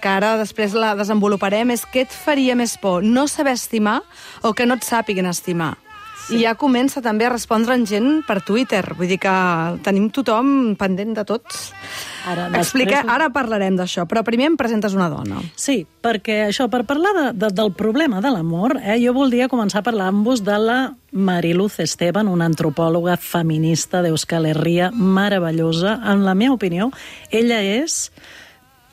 que ara després la desenvoluparem, és què et faria més por, no saber estimar o que no et sàpiguen estimar? Sí. I ja comença també a respondre'n gent per Twitter, vull dir que tenim tothom pendent de tots. Ara parlarem d'això, però primer em presentes una dona. Sí, perquè això, per parlar del problema de l'amor, jo voldria començar a parlar amb vos de la Mariluz Esteban, una antropòloga feminista d'Euskal Herria meravellosa. En la meva opinió, ella és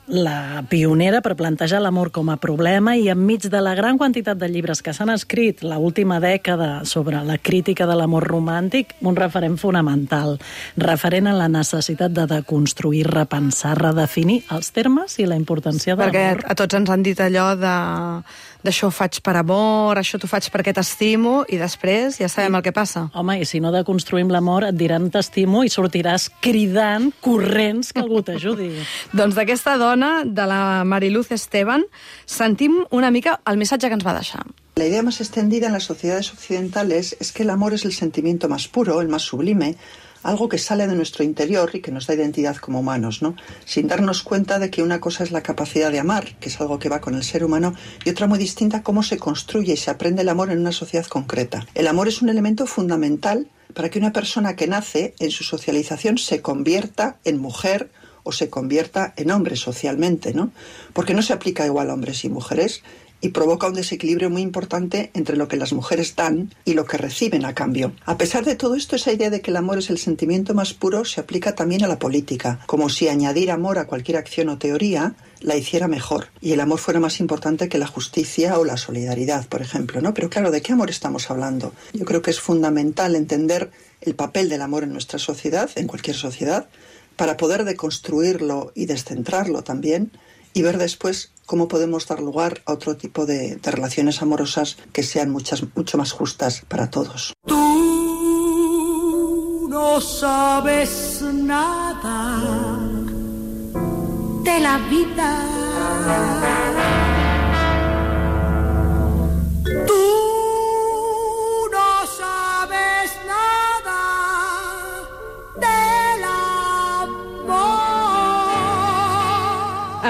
la pionera per plantejar l'amor com a problema i enmig de la gran quantitat de llibres que s'han escrit l'última dècada sobre la crítica de l'amor romàntic, un referent fonamental, referent a la necessitat de deconstruir, repensar, redefinir els termes i la importància de l'amor. Perquè a tots ens han dit allò d'això ho faig per amor, això t'ho faig perquè t'estimo, i després ja sabem el que passa. Home, i si no deconstruïm l'amor et diran t'estimo i sortiràs cridant, corrents, que algú t'ajudi. Doncs d'aquesta dona, de la Mariluz Esteban, sentim una mica el missatge que ens va deixar. La idea más extendida en las sociedades occidentales es que el amor es el sentimiento más puro, el más sublime, algo que sale de nuestro interior y que nos da identidad como humanos, ¿no? Sin darnos cuenta de que una cosa es la capacidad de amar, que es algo que va con el ser humano, y otra muy distinta, cómo se construye y se aprende el amor en una sociedad concreta. El amor es un elemento fundamental para que una persona que nace en su socialización se convierta en mujer o se convierta en hombre socialmente, ¿no? Porque no se aplica igual a hombres y mujeres y provoca un desequilibrio muy importante entre lo que las mujeres dan y lo que reciben a cambio. A pesar de todo esto, esa idea de que el amor es el sentimiento más puro se aplica también a la política, como si añadir amor a cualquier acción o teoría la hiciera mejor y el amor fuera más importante que la justicia o la solidaridad, por ejemplo, ¿no? Pero claro, ¿de qué amor estamos hablando? Yo creo que es fundamental entender el papel del amor en nuestra sociedad, en cualquier sociedad, para poder deconstruirlo y descentrarlo también y ver después cómo podemos dar lugar a otro tipo de relaciones amorosas que sean mucho más justas para todos. Tú no sabes nada de la vida. Tú no sabes nada del amor.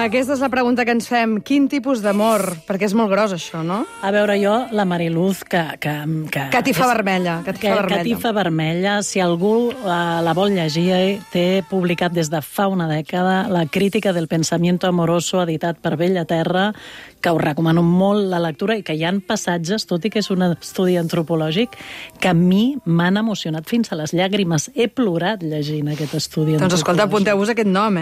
Aquesta és la pregunta que ens fem. Quin tipus d'amor? Perquè és molt gros, això, no? A veure, jo, la Mariluz, que Catifa vermella. Catifa vermella. Si algú la vol llegir, té publicat des de fa una dècada La crítica del pensamiento amoroso, editat per Bella Terra, que us recomano molt la lectura i que hi ha passatges, tot i que és un estudi antropològic, que a mi m'han emocionat fins a les llàgrimes. He plorat llegint aquest estudi antropològic. Doncs escolta, apunteu-vos aquest nom,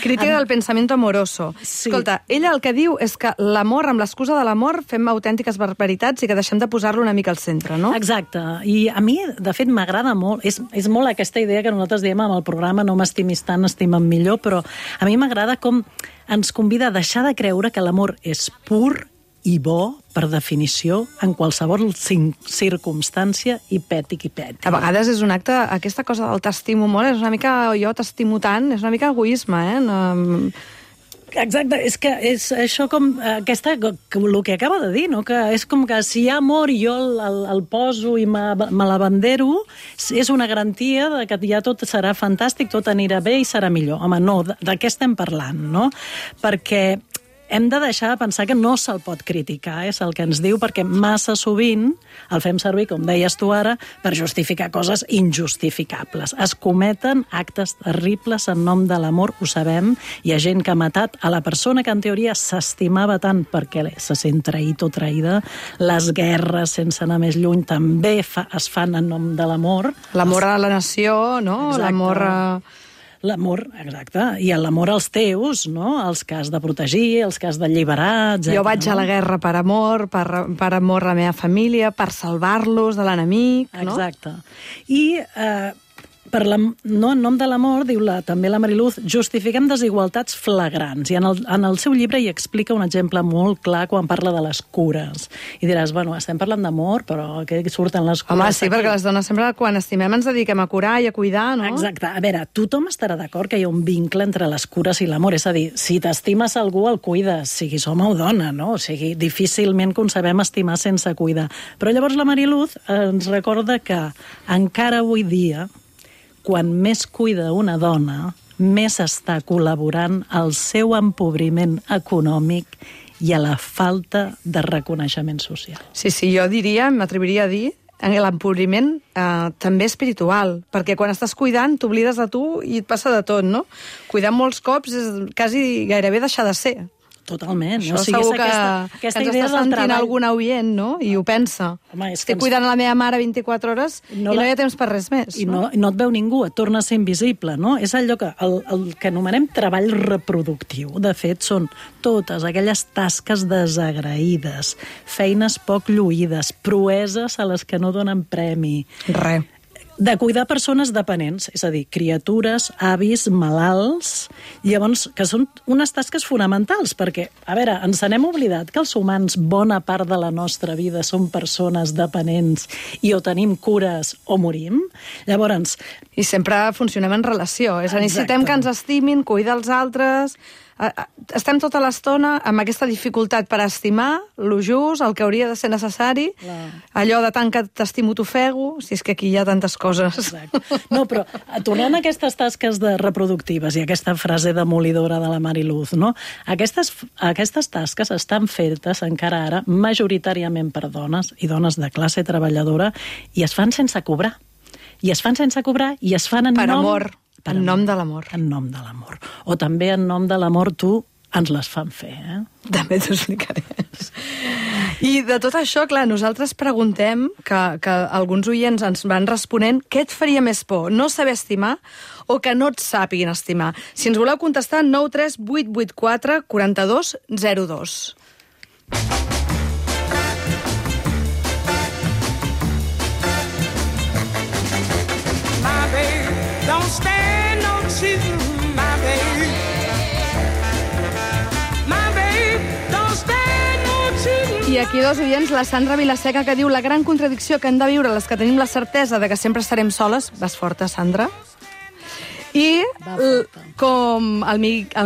Crítica del pensamiento amoroso. Sí. Escolta, ella el que diu és que l'amor, amb l'excusa de l'amor, fem autèntiques barbaritats i que deixem de posar-lo una mica al centre, no? Exacte. I a mi, de fet, m'agrada molt. És molt aquesta idea que nosaltres diem amb el programa no m'estimis tant, estima'm millor, però a mi m'agrada com ens convida a deixar de creure que l'amor és pur i bo, per definició, en qualsevol circumstància, i peti qui peti. A vegades és un acte, aquesta cosa del t'estimo molt, és una mica jo t'estimo tant, és una mica egoisme, Exacte, és que és això com el que acaba de dir, no? Que és com que si hi ha amor i jo el poso i me l'abandero, és una garantia de que ja tot serà fantàstic, tot anirà bé i serà millor. Home, no, de què estem parlant, no? Perquè hem de deixar de pensar que no se'l pot criticar, és el que ens diu, perquè massa sovint el fem servir, com deies tu ara, per justificar coses injustificables. Es cometen actes terribles en nom de l'amor, ho sabem. Hi ha gent que ha matat a la persona que en teoria s'estimava tant perquè se sent traït o traïda. Les guerres, sense anar més lluny, també es fan en nom de l'amor. L'amor a la nació, no? Exacte. L'amor L'amor, exacte, i l'amor als teus, no? Els que has de protegir, els que has d'alliberar, etc. Jo vaig a la guerra per amor, per amor a la meva família, per salvar-los de l'enemic, no? Exacte. I en nom de l'amor, diu també la Mariluz, justifiquem desigualtats flagrants. I en el seu llibre hi explica un exemple molt clar quan parla de les cures. I diràs, bueno, estem parlant d'amor, però què surten les cures? Home, sí, perquè les dones sempre, quan estimem, ens dediquem a curar i a cuidar, no? Exacte. A veure, tothom estarà d'acord que hi ha un vincle entre les cures i l'amor. És a dir, si t'estimes algú, el cuides, sigui home o dona, no? O sigui, difícilment concebem estimar sense cuidar. Però llavors la Mariluz ens recorda que encara avui dia, quan més cuida una dona, més està col·laborant al seu empobriment econòmic i a la falta de reconeixement social. Sí, jo diria, m'atreviria a dir, l'empobriment també espiritual, perquè quan estàs cuidant t'oblides de tu i et passa de tot, no? Cuidar molts cops és quasi gairebé deixar de ser. Totalment. Això segur que ens està sentint algun oient, no? I ho pensa. Home, estic cuidant la meva mare 24 hores i no hi ha temps per res més. I no et veu ningú, et torna a ser invisible, no? És allò que el que anomenem treball reproductiu. De fet, són totes aquelles tasques desagraïdes, feines poc lluïdes, proeses a les que no donen premi. Res. De cuidar persones dependents, és a dir, criatures, avis, malalts, llavors, que són unes tasques fonamentals, perquè, a veure, ens n'hem oblidat que els humans, bona part de la nostra vida, són persones dependents i o tenim cures o morim. Llavors... I sempre funcionem en relació, és a dir, necessitem que ens estimin, cuidar els altres... Estem tota l'estona amb aquesta dificultat per estimar lo just, el que hauria de ser necessari, allò de tant que t'estimo t'ofego, si és que aquí hi ha tantes coses. Exacte. No, però tornant a aquestes tasques reproductives i aquesta frase demolidora de la Mariluz, no? Aquestes tasques estan fetes encara ara majoritàriament per dones i dones de classe treballadora i es fan sense cobrar. I es fan sense cobrar i es fan en per nom... amor. En nom de l'amor. En nom de l'amor. O també en nom de l'amor tu ens les fan fer, També t'ho explicaré. I de tot això, clar, nosaltres preguntem, que alguns oients ens van responent, què et faria més por, no saber estimar o que no et sàpiguin estimar? Si ens voleu contestar, 93884 4202. Don't stand no cheating, my babe. My babe, don't stand no cheating. I aquí dos oients, la Sandra Vilaseca, que diu la gran contradicció que hem de viure les que tenim la certesa de que sempre estarem soles. Vas forta, Sandra. I com el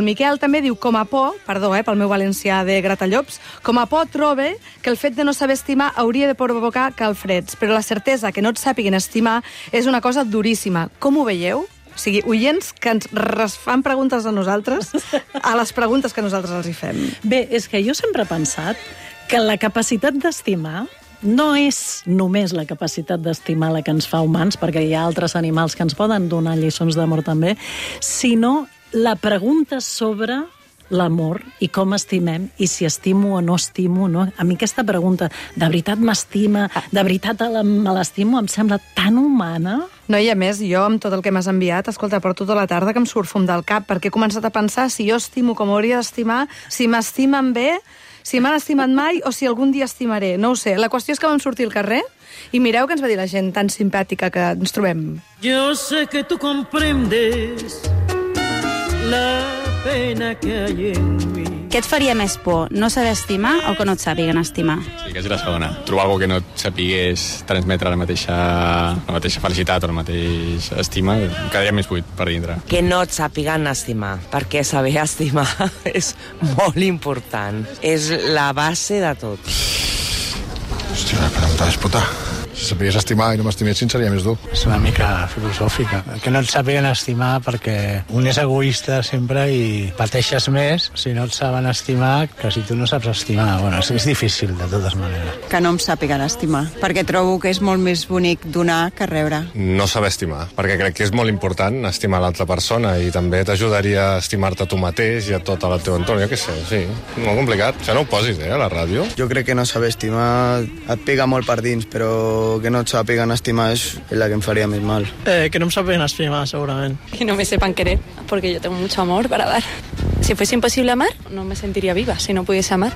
Miquel també diu, com a por, perdó, pel meu valencià de Gratallops, com a por trobe que el fet de no saber estimar hauria de provocar calfreds, però la certesa que no et sàpiguen estimar és una cosa duríssima. Com ho veieu? O sigui, oients que ens fan preguntes a nosaltres, a les preguntes que nosaltres els hi fem. Bé, és que jo sempre he pensat que la capacitat d'estimar no és només la capacitat d'estimar la que ens fa humans, perquè hi ha altres animals que ens poden donar lliçons d'amor també, sinó la pregunta sobre l'amor i com estimem i si estimo o no estimo, no? A mi aquesta pregunta, de veritat m'estima, de veritat me l'estimo, em sembla tan humana. No, i a més, jo, amb tot el que m'has enviat, escolta, porto tota la tarda que em surt fum del cap, perquè he començat a pensar si jo estimo com hauria d'estimar, si m'estimen bé, si m'han estimat mai o si algun dia estimaré. No ho sé. La qüestió és que vam sortir al carrer i mireu què ens va dir la gent tan simpàtica que ens trobem. Yo sé que tú comprendes la pena que hay en mi. Què et faria més por, no saber estimar o que no et sàpiguen estimar? Sí, que és la segona. Trobar algú que no et sapigués transmetre la mateixa felicitat o la mateixa estima, quedaria més buit per dintre. Que no et sàpiguen estimar, perquè saber estimar és molt important. És la base de tot. Hòstia, la pregunta és puta. Si sapigués estimar i no m'estimessin seria més dur. És una mica filosòfica. Que no et sàpiguen estimar perquè un és egoista sempre i pateixes més si no et saben estimar que si tu no saps estimar. Bueno, és difícil de totes maneres. Que no em sàpiguen estimar, perquè trobo que és molt més bonic donar que rebre. No saber estimar, perquè crec que és molt important estimar l'altra persona i també t'ajudaria a estimar-te tu mateix i a tot el teu entorn, jo què sé, sí. Molt complicat. Això no ho posis, a la ràdio. Jo crec que no saber estimar et pega molt per dins, però que no et sàpiguen estimar és la que em faria més mal. Que no me saben estimar, segurament. Que no me sepan querer, porque yo tengo mucho amor para dar. Si fuese imposible amar, no me sentiría viva si no pudiese amar.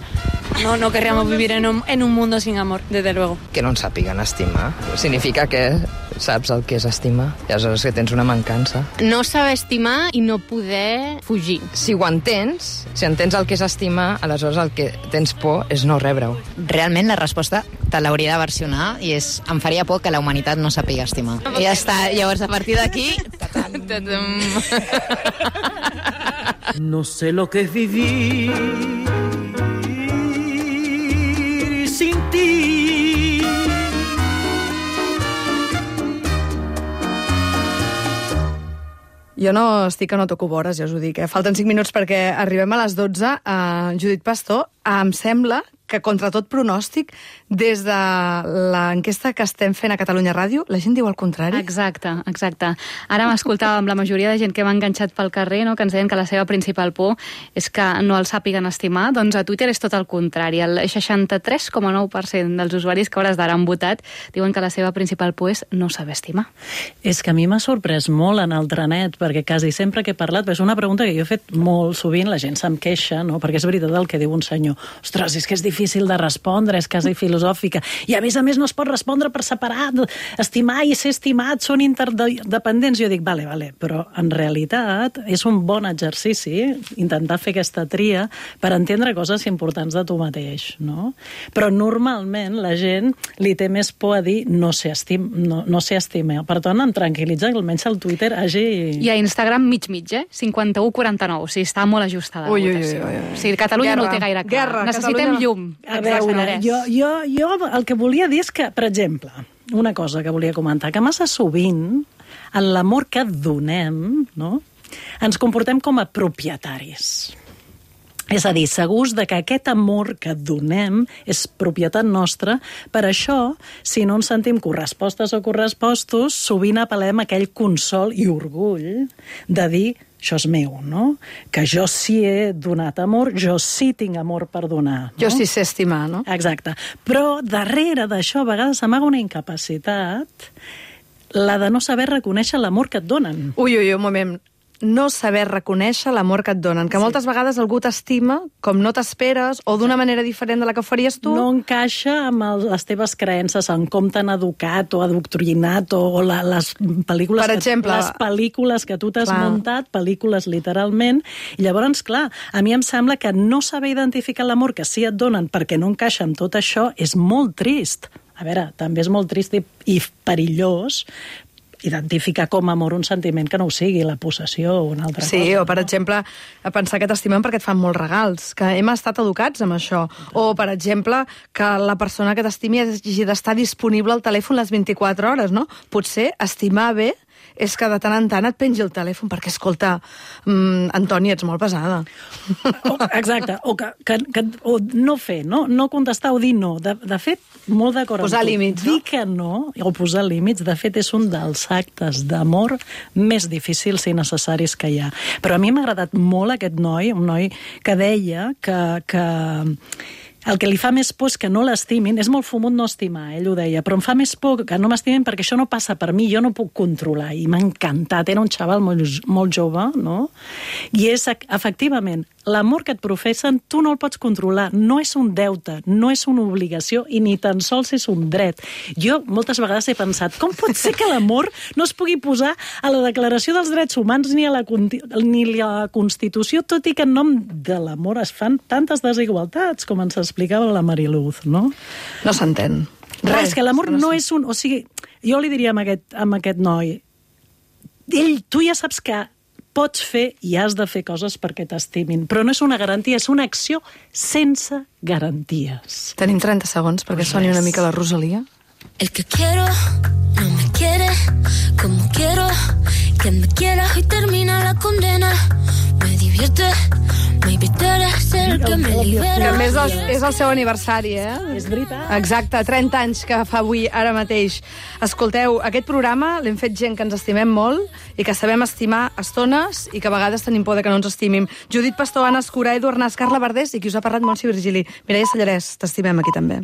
No querríamos vivir en un mundo sin amor, desde luego. Que no ens sàpiguen estimar significa que saps el que és estimar i aleshores que tens una mancança. No saber estimar i no poder fugir. Si ho entens, si entens el que és estimar, aleshores el que tens por és no rebre-ho. Realment la resposta te l'hauria de versionar i és em faria por que la humanitat no sàpiga estimar. I ja està, llavors a partir d'aquí... No sé lo que es vivir sin ti. Jo no estic que no toco vores, ja us ho dic. Falten 5 minuts perquè arribem a les 12. Judit Pastor, em sembla que contra tot pronòstic, des de l'enquesta que estem fent a Catalunya Ràdio, la gent diu el contrari. Exacte. Ara m'escoltàvem la majoria de gent que m'ha enganxat pel carrer, no? Que ens deien que la seva principal por és que no el sàpiguen estimar. Doncs a Twitter és tot el contrari. El 63,9% dels usuaris que a hores d'ara han votat diuen que la seva principal por és no saber estimar. És que a mi m'ha sorprès molt en el trenet, perquè quasi sempre que he parlat, és una pregunta que jo he fet molt sovint, la gent se'm queixa, no? Perquè és veritat el que diu un senyor. Ostres, és que és difícil de respondre, és quasi filosòfica. I a més no es pot respondre per separat. Estimar i ser estimat són interdependents. Jo dic, vale, però en realitat és un bon exercici intentar fer aquesta tria per entendre coses importants de tu mateix, no? Però normalment la gent li té més por a dir no sé estimar. Per tant, em tranquil·litza que almenys el Twitter hagi... I a Instagram mig, 51-49. O sigui, està molt ajustada la votació. O sigui, Catalunya no ho té gaire clar. Necessitem llum. A veure, jo el que volia dir és que, per exemple, una cosa que volia comentar, que massa sovint, en l'amor que donem, no?, ens comportem com a propietaris. És a dir, segurs de que aquest amor que donem és propietat nostra. Per això, si no ens sentim correspostes o correspostos, sovint apel·lem a aquell consol i orgull de dir això és meu, no? Que jo sí he donat amor, jo sí tinc amor per donar. No? Jo sí sé estimar, no? Exacte. Però darrere d'això a vegades s'amaga una incapacitat, la de no saber reconèixer l'amor que et donen. Ui, un moment. no saber reconèixer l'amor que et donen, que moltes vegades algú t'estima com no t'esperes o d'una manera diferent de la que faries tu. No encaixa amb les teves creences, en com t'han educat o adoctrinat o les pel·lícules, per exemple, les pel·lícules que tu t'has muntat, pel·lícules literalment, i llavors, clar, a mi em sembla que no saber identificar l'amor que sí et donen perquè no encaixa amb tot això és molt trist. A veure, també és molt trist i perillós identificar com a amor un sentiment que no ho sigui, la possessió o una altra cosa. Sí, o per exemple, pensar que t'estimen perquè et fan molts regals, que hem estat educats amb això. O, per exemple, que la persona que t'estimi hagi d'estar disponible al telèfon les 24 hores, no? Potser estimar bé és que de tant en tant et pengi el telèfon, perquè, escolta, Antoni, ets molt pesada. Exacte, o no fer, no contestar o dir no. De fet, molt d'acord amb tu. Posar límits, no? Dir que no, o posar límits, de fet, és un dels actes d'amor més difícils i necessaris que hi ha. Però a mi m'ha agradat molt aquest noi, un noi que deia que el que li fa més por és que no l'estimin. És molt fumut no estimar, ell ho deia, però em fa més por que no m'estimin perquè això no passa per mi, jo no puc controlar. I m'ha encantat, era un xaval molt jove, no? I és, efectivament, l'amor que et professen tu no el pots controlar, no és un deute, no és una obligació i ni tan sols és un dret. Jo moltes vegades he pensat, com pot ser que l'amor no es pugui posar a la Declaració dels Drets Humans ni a la Constitució, tot i que en nom de l'amor es fan tantes desigualtats, com ens explicava la Mariluz, no? No s'entén. És que l'amor no és un... O sigui, jo li diria a aquest noi, tu ja saps que pots fer i has de fer coses perquè t'estimin, però no és una garantia, és una acció sense garanties. Tenim 30 segons perquè soni una mica la Rosalia. El que quiero no me quiere como quiero que me quiera y termina la condena. Me divierte, maybe tú eres el que me libera. Que a més és el seu aniversari, És veritat. Exacte, 30 anys que fa avui, ara mateix. Escolteu, aquest programa l'hem fet gent que ens estimem molt i que sabem estimar estones i que a vegades tenim por de que no ens estimin. Judit Pastor, Anna Escura, Eduard Nas, Carla Verdés i qui us ha parlat, Montse Virgili. Mireia Sallarès, t'estimem aquí també.